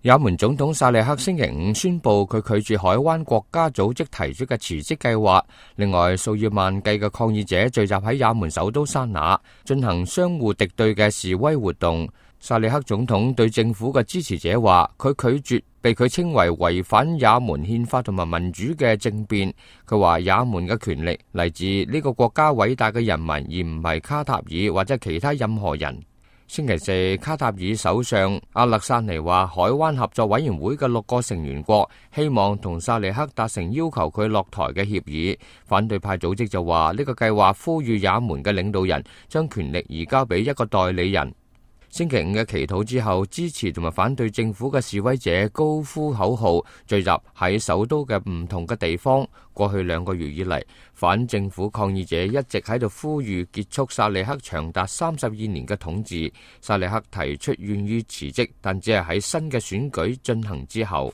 也門總統薩利克星期五宣布佢拒絕海灣國家組織提出嘅辭職計劃。另外，數以萬計嘅抗議者聚集喺也門首都沙那，進行相互敵對嘅示威活動。薩利克總統對政府嘅支持者話，佢拒絕被佢稱為違反也門憲法同埋民主嘅政變。佢話也門嘅權力嚟自呢個國家偉大嘅人民，而唔係卡塔爾或者其他任何人。星期四，卡塔爾首相阿勒薩尼話，海灣合作委員會嘅6個成員國希望同薩利克達成要求佢落台嘅協議。反對派組織就話，呢個計劃呼籲也門嘅領導人將權力移交俾一個代理人。星期五嘅祈禱之後，支持同埋反對政府嘅示威者高呼口號，聚集喺首都嘅唔同嘅地方。過去2個月以嚟，反政府抗議者一直喺度呼籲結束薩利克長達32年嘅統治。薩利克提出願意辭職，但只係喺新嘅選舉進行之後。